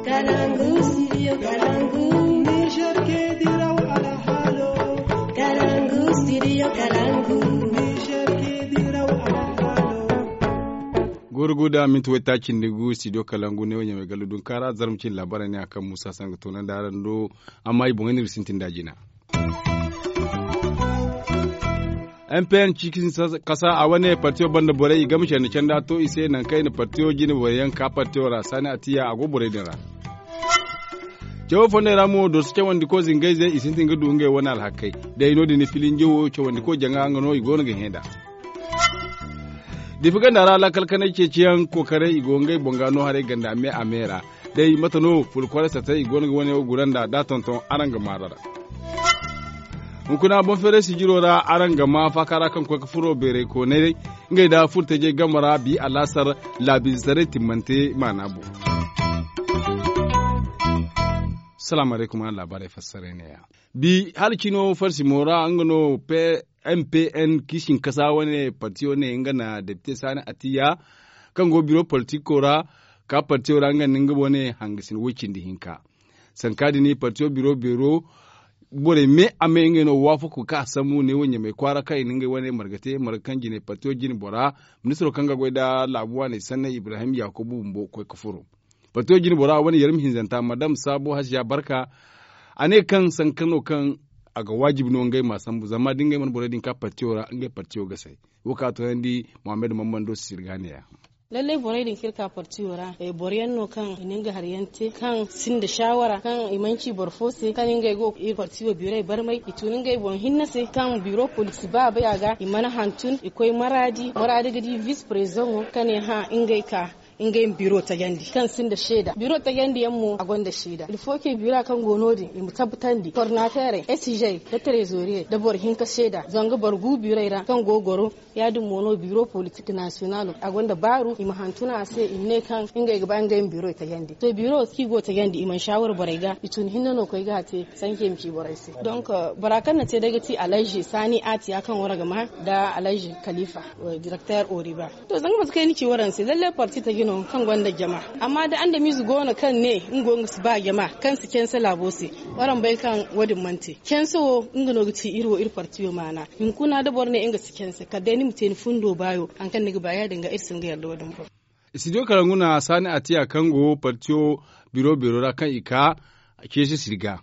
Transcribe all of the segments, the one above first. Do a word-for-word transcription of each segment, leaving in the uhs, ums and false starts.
Kalangu, studio Kalangu. Niger ke diraw alhalo. Kalangu, studio Kalangu. Niger ke diraw alhalo. Gurguda minti wayta cindi gu studio Kalangu ne wanya mai gallu dun kara zarmacin labarai ne akan musa sanga tonan da aran do. Amma i boŋay nir sintin da jina. M P N cikin kasa a wane partiyo banda borey i gama candi canda to i se nangu kaŋ i na partiyo jine borey yaŋ ka partiyo ra saani a tiya a go borey din ra. Cawo fondey ra mo dorso cawandi ko zingayze i sintin ga du ngey wane alhakey. Day no- din filinje wo cawandi ko jaŋa nga no i go no ga hẽ nd'a. Difi ganda ra lakkal kanay ceeciyaŋ kookaray i go ngey boŋ ga no haray ganda me a me ra. Day mate no fulkoray satay i go no ga wane wo guranda da tonton araŋ ga maarara. Hunkuna boŋ feeray sijiro ra araŋ ga ma faaka ra kaŋ koy ga furo beeray koonay ngey da furtajey game ra bi alaasar laabiize taray timmante maana boŋ. Salaamu alaykum araŋ laabaarey fassaray neeya. Bi hala cino farsimo ra nga no m p n kiisinkasa wane partiyo ne nga na depite saani atiya kaŋ go biro politiko ra ka partiyo ra nga nda nga wane hangasin woy cindi hinka. Sanka din partiyo biro beero borey me a me ngey no waafako ka sambu ne wo ɲamey kwaara kaŋ i na ngey wane marga te marga kaŋ jine partiyo jine bora ministiro kaŋ ga goy nda laabu waaney sanney ibrahim yakubu bumbo koy ga furo. Partiyo jine bora wane yarmi hinzanta madam saabo hasiya barka. A ne kaŋ sanka no kaŋ a ga waajibi no ngey ma sambu zama da ngey mana borey din ka partiyo ra ngey partiyo ga say. Wo kaŋ a toonandi mohammed mammando sisir ga neeya. Lallai borey din kaŋ iri ka partiyo ra boro yaŋ no kaŋ i na nga hari yaŋ te kaŋ sinda shawara kaŋ i mana ci boro fo se kaŋ ngey go iri partiyo biirey barmay i tun ngey boŋ hinne se kaŋ biiro police baabay a ga i mana hantun i koy maraadi maraadi ga di vice president wo ka ne hã ngey ka ngey ma biro tajandi kaŋ sinda seeda biro tajandi yaŋ mo a gonda seeda ilfoke bira kaŋ go no- din i ma tabbatandi kornaterey esijey da trezoriyey da boro hinka seeda zanga boro gu birey ra kaŋ go goro. Ya- din mo no biro politik nasiyonalo a gonda baaru i ma hantuna a se i ma ne kaŋ ngey ga ba ngey ma biro tajandi to biro kaŋ i go tajandi i mana shawara borey ga i tun hinne no koy ga a te. Sanke ma ci borey se donk bora kaŋ na te day ga ti alhaji sani atiya kaŋ wara ga ma nda alhaji kalifa direkter oriba. To zanga mate kaŋ ay na ci waraŋ se lallai parti taji no kaŋ gonda jama. Amma da andamize go no kaŋ ne nga go nga si ba jama kaŋ si canse laabo se. Waraŋ bay kaŋ wo- din mana te canse wo nga no ga ci iri wo iri parti wo maana. Hunkuna da boro ne nga si canse kala day ni ma te ni fundo baayo hari kaŋ ni ga ba ya- din ga iri si hin ga yadda wo- din boŋ. Studio kalangu na saani atiya kaŋ go partiyo biro beero ra kaŋ i ka ceesi sirga.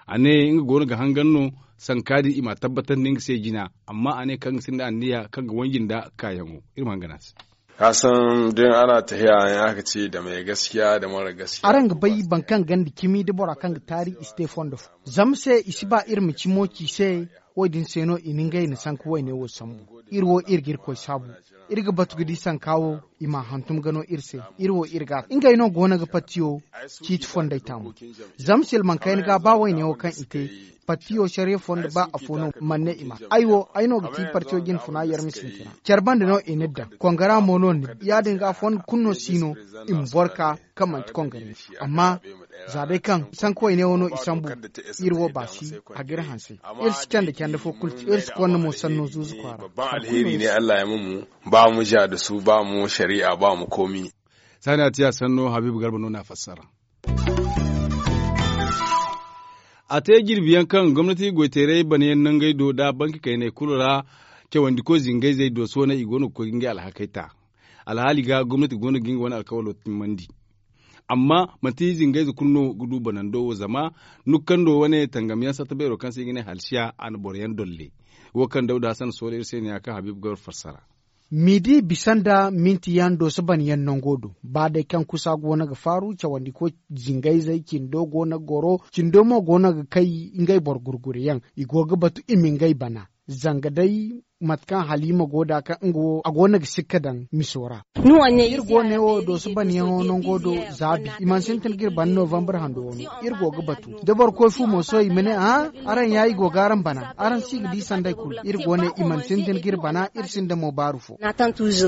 A ne nga go no ga hangan no sanka din i ma a tabbatandi nga se jina. Amma a ne kaŋ ga sinda anniya kaŋ ga wanji nda kaayaŋo. Iri ma hangan a se. Ka san din ana tahiya in aka ce da mai gaskiya da mara gaskiya. Araŋ ga bay boro kaŋ ganda cimi da bora kaŋ ga taari i si te fondo fo. Zama se i si ba iri ma cimo ci se. Wo- din se no i na ngey na sanka wayne wo sambu. Iri wo iri ga irkoy saabu. Iri ga batu ga di sanka wo i ma a hantum ga no iri se. Iri wo iri ga a te ngey no go no ga partiyo ciiti fondey taamu. Zama silmaŋ kayna ga ba wayne wo kaŋ i te partiyo sariya fondo ba afo no mana ne i ma ay wo ay no ga ti partiyo jine funa yar ma sintina care banda no i na daŋ kongara mo no ni ya- din ga fondo kulu no si no i ma boro ka kaŋ manti kongara. Amma za day kaŋ sanka wayne wo no i sambu. Iri wo ba si a ga iri hanse. Iri si canda canda fo kulu te iri si konda mo sanno zuuzu kwaara. Ba alheri ne allah ya ma mu ba mu ja da su ba mu shari'a ba mu komi. Saani a te a sanno habiibu garba no na a fassara. A te jirbi yaŋ kaŋ gomnati goyteeray bana yaŋ nangey do nda banki kayney kulu ra. Cawandi koy zingayzey do sohõ i go no ga koy ga ngey alhakey ta. Alhaali ga gomnati go no ga nga wane alkawalo timmandi. Amma manti zingayze kulu no ga du banando wo zama nukkando wane tangamyaŋ satta beero kaŋ se i ga ne halsiya a na boro yaŋ dolle. Wo kaŋ dawda hasan sohõ iri se no ya kaŋ habiibu ga war fassara. Midi bisa nda minti yaŋ dooso ban yaŋ nango do ba day kaŋ kusa go no ga faaru cawandi koy zingayzey cindo go no ga goro cindo mo go no ga kay ngey boro gurgure yaŋ. I go ga batu i ma ngey bana zanga day mate kaŋ halima go da kaŋ nga wo a go no ga sikka daŋ miso ra. Iri go ne wo dooso ban yaŋo nango do zaabi i mana sintin ga iri bana novembre hando wano. Iri go ga batu da boro koy fu mo sohõ i ma ne a araŋ ya i go ga araŋ bana araŋ si ga di sanday kulu iri go ne i mana sintin ga iri bana iri sinda mo baaru fo.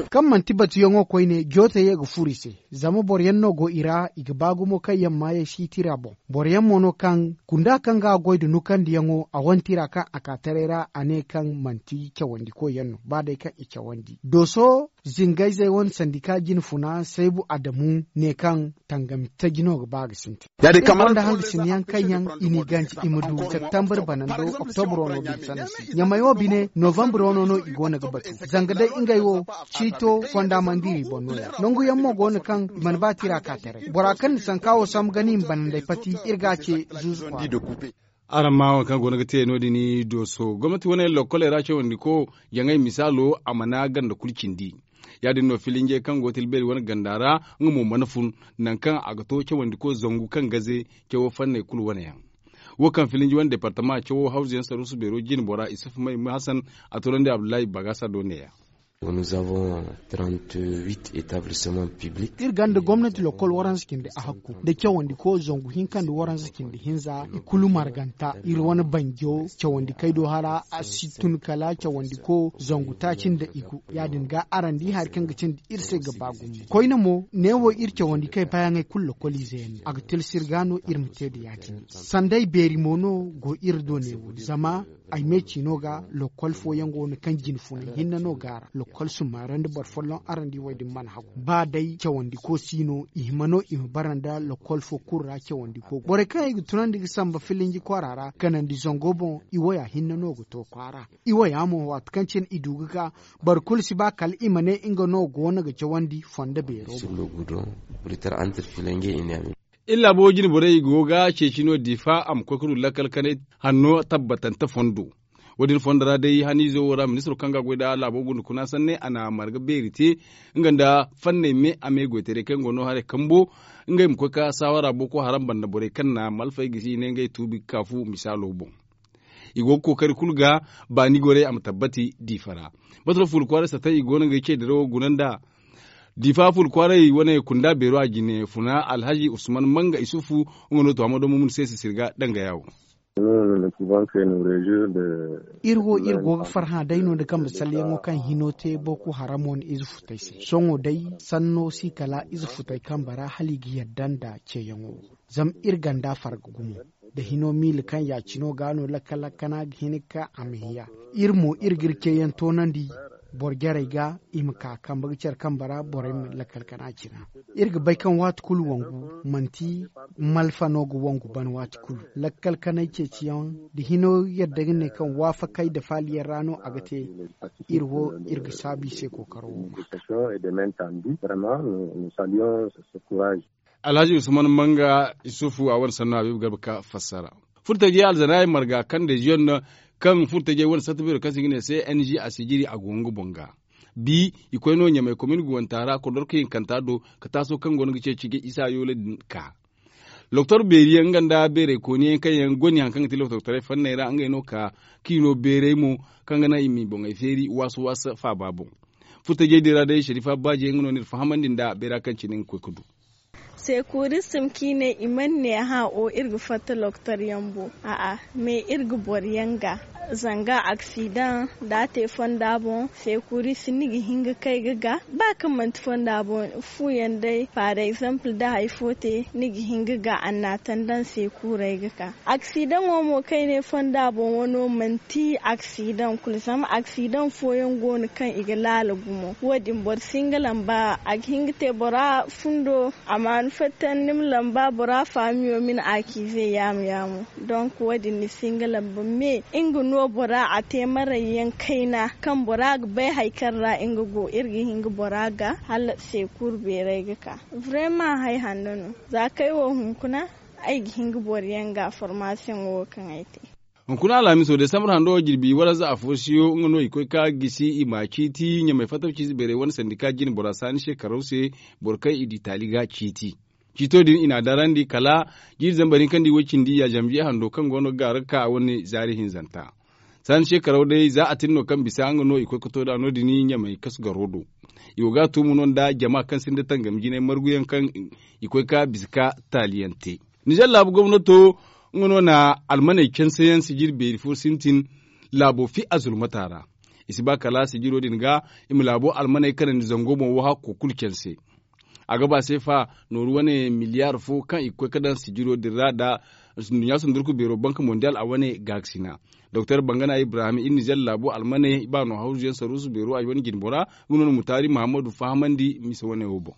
Kaŋ manti batuyaŋo koyne joote ye ga furo i se. Zama boro yaŋ no go i ra i ga ba gumo kaŋ yaŋ maayey si tira boŋ. Boro yaŋ mo no kaŋ gunda kaŋ ga a goy nda nukandiyaŋo a wane tira kaŋ a ka taray ra a ne kaŋ manti cawandi. Sandikoy yaŋ no ba day kaŋ i cawandi dooso zingayzey wane sandika jine funa saybu adamu ne kaŋ tangami taji no ga ba ga sintin. Iri gonda hangasin yaŋ kaŋ yaŋ i n'i ganji i ma du septembre banando oktobro no din sanni se ɲamay wo bine novembre wano no i go no ga batu. Zanga day ngey wo ciito fonda mandiiri boŋ no ya nangu yaŋ mo go no kaŋ i mana ba tira ka taray bora kaŋ na sanka wo sambu ga no i ma bananday pati. Iri ga a ce zuzu kwaara. Araŋ ma waŋ kaŋ go no ga te no- din dooso gomnati wane lokkoley ra cawandiko jaŋay misaalo a mana ganda kulu cindi. Ya- din no filinjey kaŋ go ga te albeeri wane ganda ra nga mo mana fun nangu kaŋ a ga to cawandiko zangu kaŋ gaze cawo fanney kulu wane yaŋ. Wo kaŋ filinji wane departama cawo hawzu yaŋ saruusu beero jine bora isufu may hasan a toonandi abdullahi bagasa do ne- ya. Iri ganda gomnati lokkol waranza cindi a hakku nda cawandiko zangu hinka nda waranza cindi hinza i kulu marganta iri wane banjo cawandikey do hara a si tun kala cawandiko zangu taaci nda igu. Ya- din ga araŋ di hari kaŋ ga cindi iri se ga ba gumo koyne mo neewo iri cawandikey bayaŋey kulu lokkoliize yaŋ no a ga tilsi iri ga no iri ma te nda ya- din sanday beeri mo no go iri do neewo zama ay me ciino ga lokkol fooyaŋ go no kaŋ jine funay hinne no go a ra lokkol summaara nda boro folloŋ araŋ di wo- din mana hagu ba day cawandiko si no i hima no i ma bara nda lokkol fo kulu ra cawandiko borey kaŋ i ga tunandi ga samba filinji kwaara ra kanandi zango boŋ i waya hinne no ga to kwaara. I waya mo waati kaŋ cine i du ga ga boro kulu si ba kala i ma ne nga no go no ga cawandi fondo beero boŋ. Iri laabo jine borey i go ga ceeci no diifa a ma koy ga du lakkal kanay hanno tabbatante fondo. Wo- din fondo ra day haniizo wo ra ministiro kaŋ ga a goy nd'a laabo gunda kuna sanne a na marga beeri te nga nda fanney me a me goytaray kaŋ go no haray kambo ngey ma koy ga saawara boko haram banda borey kaŋ na malfey gisi i ne ngey tuubi ga ka fu misaalo boŋ. I go ga kookari kulu ga baani gorey a ma tabbati diifa ra. Mate no fuula kwaaray satay i go no ga ay ce dirawo guna nda diifa fuula kwaaray wane kunda beero a jine funa alhazi usman manga isufu nga no to a ma domo mun se sisir ga danga yaawo. Iri wo iri go ga farhã day no nda kambe salyaŋo kaŋ hino te boko haram wane ize futay se sohõ day sanno si kala ize futay kambe ra hala i ga yadda nda ceeyaŋo. Zama iri ganda farga gumo nda hino miila kaŋ ya- cino ga no lakkal kana ga hin ga ka a ma hiya. Iri mo iri ga iri ceeyaŋ toonandi boro jarey ga i ma ka kambe ga care kambe ra borey ma lakkal kana cina. Iri ga bay kaŋ waati kulu wangu manti malfa no ga wangu ban waati kulu lakkal kanay ceeciyaŋ nda hino yadda ga ne kaŋ waafakay nda faaliyaŋ ra no a ga te. Iri wo iri ga saabu i se kookaro wo ma. Alhazi usman manga isufu a wane sanno habiibu garba ka fassara. Furtajey alzanaayey marga kaŋ deziyon kaŋ furtajey wane sarta beero kaŋ se i ga ne se ng a sijiri a go nga boŋ ga. Bi i koy no ɲamay komin guwanta ra kordorka hinkanta do ka taaso kaŋ go no ga ceeci ga isa yoola din ka. Loktor beeri yaŋ nga nda beeray kooni yaŋ kaŋ yaŋ goni hari kaŋ ga ti loktortaray fanney ra ngey no ka k'i no beeray mo kaŋ ga naŋ i m'i boŋey feeri waasu waasu faaba boŋ. Furtajey din ra day sharifa baaji yaŋ nga no n'iri fahamandi nda beera kaŋ cine nga koy ga du. Sekuristim kaŋ i ne i mana ne hã o iri ga fatta loktor yaŋ boŋ. A'a, me iri ga boro yaŋ ga zanga aksidaŋ da a te fonda boŋ. Sekurist ni ga hin ga kay ga ga ba kaŋ manti fonda boŋ fu yaŋ day par exemple da hari fo te ni ga hin ga ga annatandan sekuray ga ka. Aksidaŋo mo kaŋ i ne fonda boŋ wano manti aksidaŋ kulu zama aksidaŋ fooyaŋ go no kaŋ i ga laala gumo wo- din boro si hin ga lamba a ga hin ga te bora fundo a ma ni fatta ni ma lamba bora faamiyo ma ni akize yaamu yaamu. Donk wo- din ni si hin ga lamba me nga no bora a te maray yaŋ kayna kaŋ bora ga bay hari kaŋ ra nga go iri ga hin ga bora ga hala sekur beeray ga ka. Vrema hari hanno no za kay wo hunkuna ay ga hin ga boro yaŋ ga formasiyoŋo wo kaŋ ay te. Hunkuna alhamiso desambur hando jirbi waranza afo siyo nga no i koy ka gisi i ma ciiti ɲamay fattaw ciize beeray wane sandika jine bora saani shekaraw se. Boro kaŋ i di taali ga ciiti ciito din i n'a darandi kala jiiri zambar hinka nda i way cindi ya zanbiye hando kaŋ go no ga gaaru ga ka a wane zaari hinzanta. Saani shekaraw day za a tin no kaŋ bisa nga no i koy ga to nd'a no- din ɲamay kasu garo do. I go ga a tuumu no nda jama kaŋ sinda tangam jinay marguyaŋ kaŋ i koy ga bisa ka taaliyaŋ te. Nizer laabu gomnato nga no na almaney canse yaŋ sijir beeri fo sintin laabo fi a zulmata ra. I si ba kala sijiro din ga i ma laabo almaney kanandi zango boŋ wo hakko kulu canse. A ga ba seefa nooru wane miliyaar fo kaŋ i ga koy ga daŋ sijiro din ra nda nduɲɲa sundurku beero banka mondiyaal a wane gaakasina. Doktor bangana ibrahim iri nizer laabo almaney baano hawzu yaŋ saruusu beero a wane jinbora nga no na mutaari muhammadu fahamandi mise wane wo boŋ.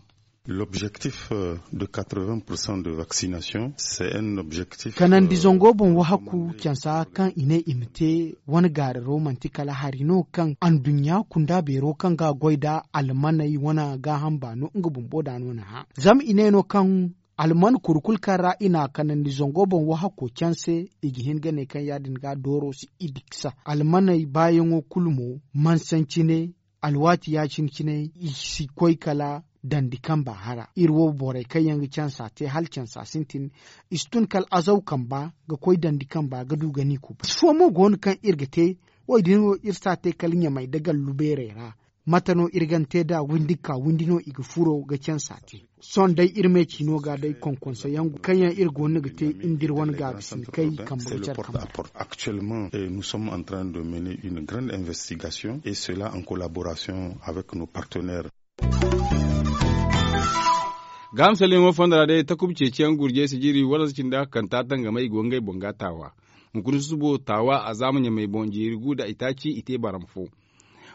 L'objectif de quatre vingt pour cent de vaccination c'est un objectif. Kanandi zango boŋ wahakku cansa kaŋ i ne i ma te wane gaararo manti kala hari no kaŋ anduɲɲa kunda beero kaŋ ga goy nda almaney wane gaaham baano nga bumbo da no na hã zama i ne no kaŋ alman kuri kulu kaŋ ra i na a kanandi zango boŋ wahakko canse i ga hin ga ne kaŋ ya- din ga dooro si i diksa almaney baayaŋo kulu mo mansancine alwaati ya- cine cine i si koy kala dandi kamba hara iri wo borey kaŋ yaŋ ga cansa te hala cansa sintin i si tun kala azaw kamba ga koy dandi kamba ga du ga ni kuba fo mo go no kaŋ iri ga te wo- din wo iri si a te kala ɲamey nda gallu beerey ra mate no iri ga ni te nd'a windi ga ka windi no i ga furo ga cansa te sohõ day iri me ciino ga day konkonso yaŋ kaŋ yaŋ iri go no ga te nda iri wane gaabi sinkey kambe ga care kambe ra. Actuellement nous sommes en train de mener une grande investigation et cela en collaboration avec nos partenaires. Gaaham salyaŋo fonda ra day takuba ceeciyaŋ gurjey sijiri waransa cindi hakanta tangamay i go ngey boŋ ga taawa. Hunkuna susubo taawa a zaama ɲamey boŋ jeeri gu nda itaaci i te barama fo.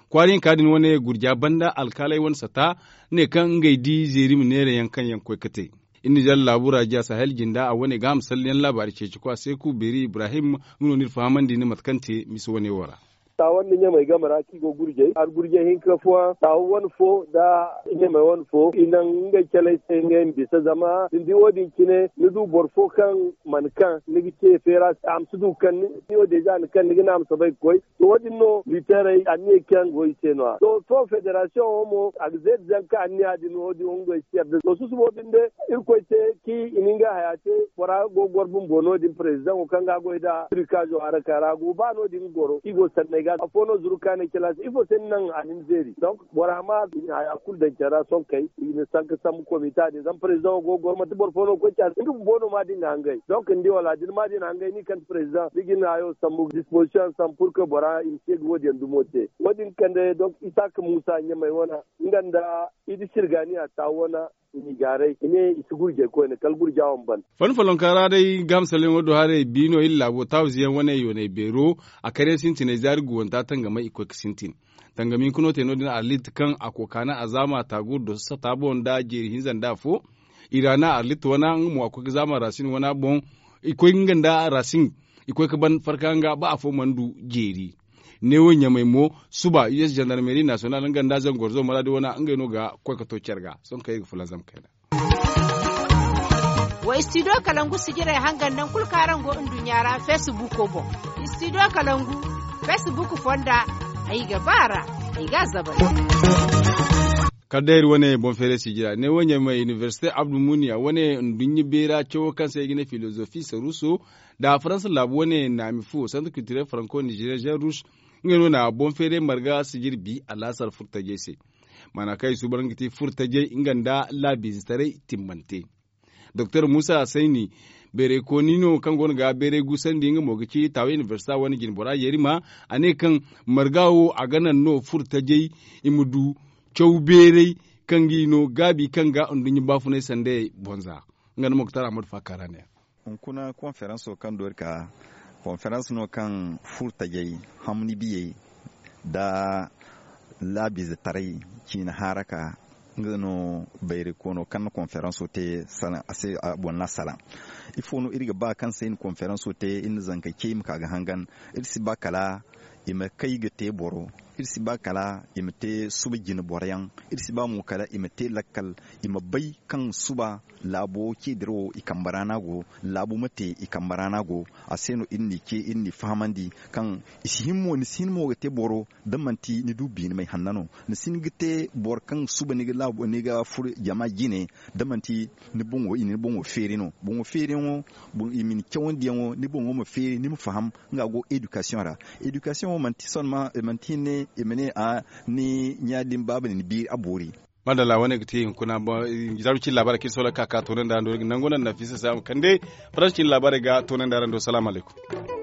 Kwaariyaŋ ka din wane gurja banda alkaaley wane sata ne kaŋ ngey di zeeri ma neera yaŋ kaŋ yaŋ koy ga te. Iri nizer laabu ra jiya sahel jinda a wane ga a ma salli yaŋ laabaari ceeci kwa seeku beeri ibrahim nga no ni iri fahamandi ni mate kaŋ te misa wane wo ra. Taawa nda ɲamey game ra kaŋ i go gurjey hari gurjey hinka fooyaŋ taawa wane fo nda ɲamey wane fo i naŋ ngey caley se ngey ma bisa zama da ni di wo- din cine ni du boro fo kaŋ mana kaŋ ni ga ce feera se a ma si du ga kaŋ ni wo deeza ni kaŋ ni ga ne a ma soobay ga koy. To wo- din no literey anniya kaŋ go i se no- ya to to federasiyoŋo mo a ga zeeri zanka anniya din wo- din wo ngey si yarda to susubo binde irkoy te kaŋ i na ngey haya te bora go ga goro bumbo no- din prezidaŋo kaŋ ga a goy nd'a trikaazo haraka ra go ba no- din ga goro kaŋ i go sanney ga afo no zuru kaanay cala se ifo se ni naŋ a na ni zeeri donk bora ma i na haya kulu daŋ care ra sohõ kay i na sanka sambu komita din zama prezidaŋo go ga goro manti boro fo no ga koy care se nga bumbo no ma din ga hangay donk ni di wala da ni ma din hangay ni kaŋ ti prezidaŋ ni ga ni hayo sambu dispozisiyoŋ sambu purke bora i ma ce ga wo- din yaŋ dumo te wo- din kande donk isaaka muusa ɲamey wane nga nda i di sirgaaniya taawu wane i n'i gaaray i ne i si gurjey koyne kala gurja wane ban. Fani follonka ra day gaamsalyaŋo do haray biino iri laabo taawize yaŋ wane yoonay beero a kar yaŋ sintinay zaari guwanta tangamay i koy ga sintin. Tangami hunkuna te no- din arlit kaŋ a kookaana a zaama taaguuri doso sata boŋ nda jeeri hinza nda afo. Iraana arlit wana nga mo a koy ga zaama rasin wana boŋ. I koy nga nda rasin i koy ga ban farka nga ba afo mana du jeeri. Neewo ɲamey mo suba us zandarmeri nasiyonal nga nda zangorzo maraadi wana ngey no ga koy ga to care ga sohõ kaŋ iri ga fulanzam kayna. Wa istidiyo kalangu sijirey hangan naŋ kulu kaŋ araŋ go nduɲɲa ra feesibuuko boŋ. Istidiyo kalangu feesibuuko fonda ay ga ba a ra ay ga a zabay. Kala day iri wane boŋ feeray sijira ne wo ɲamey inibersite abdulmuniya wane nduɲɲa beera cawo kaŋ se ay ga ne filozofi saruuso nda faransa laabu wane naami fu santre kiltirel faranko nizeriya jean rouge. Ngey no na boŋ feeray marga sijiri bi alaasar furtajey se. Maana kaŋ i suuban ga ti furtajey nga nda laabiizetaray timmante. Doktor muusa sayni beeraykooni no kaŋ go no ga beeray guusandi nga mo ga ci taawa inibersita wane jinbora yerima. A ne kaŋ marga wo a ga naŋ no furtajey i ma du caw beeray kaŋ ga i no gaabi kaŋ ga nduɲɲa baafunay sandayey bonza. Nga nda moktar ahmadu faakara ne. Hunkuna konferanso kaŋ doori ka konferans no kaŋ furtajey hamni biyey nda laabiizetaray ciina haaraka. Nga no bayraykoyno kaŋ na konferanso te a se a boŋ na salaŋ. Ifo no iri ga ba kaŋ se iri na konferanso te iri na zankey ce i ma ka ga hangan? Iri si ba kala i ma kay ga te boro. Iri si ba kala i ma te suba jine boroyaŋ. Iri si ba mo kala i ma te lakkal i ma bay kaŋ suba laabo ce dirawo i kambe ra no a go. Laabu ma te i kambe ra no a go. A se no iri n'i ce iri n'i fahamandi kaŋ i si hin mo ni si hin mo ga te boro da manti ni du biinamay hanna no. Ni si hin ga te boro kaŋ suba ni ga laabu ni ga furo jama jine da manti ni boŋo i na ni boŋo feeri no. Boŋo feeriyaŋo i ma ni cawandiyaŋo ni boŋo ma feeri ni ma faham nga go edikasiyoŋ ra. Edikasiyoŋo manti hinne i ma ne a ni ɲa din baaba na ni biiri a boori. Madalla wane ga ti hunkuna zarbi cin laabaarey kaŋ iri sohõ ka ka toonandi araŋ do nangu naŋ nafisa se a ma kande faransi cin laabaarey ga toonandi araŋ do salaamu alaykum.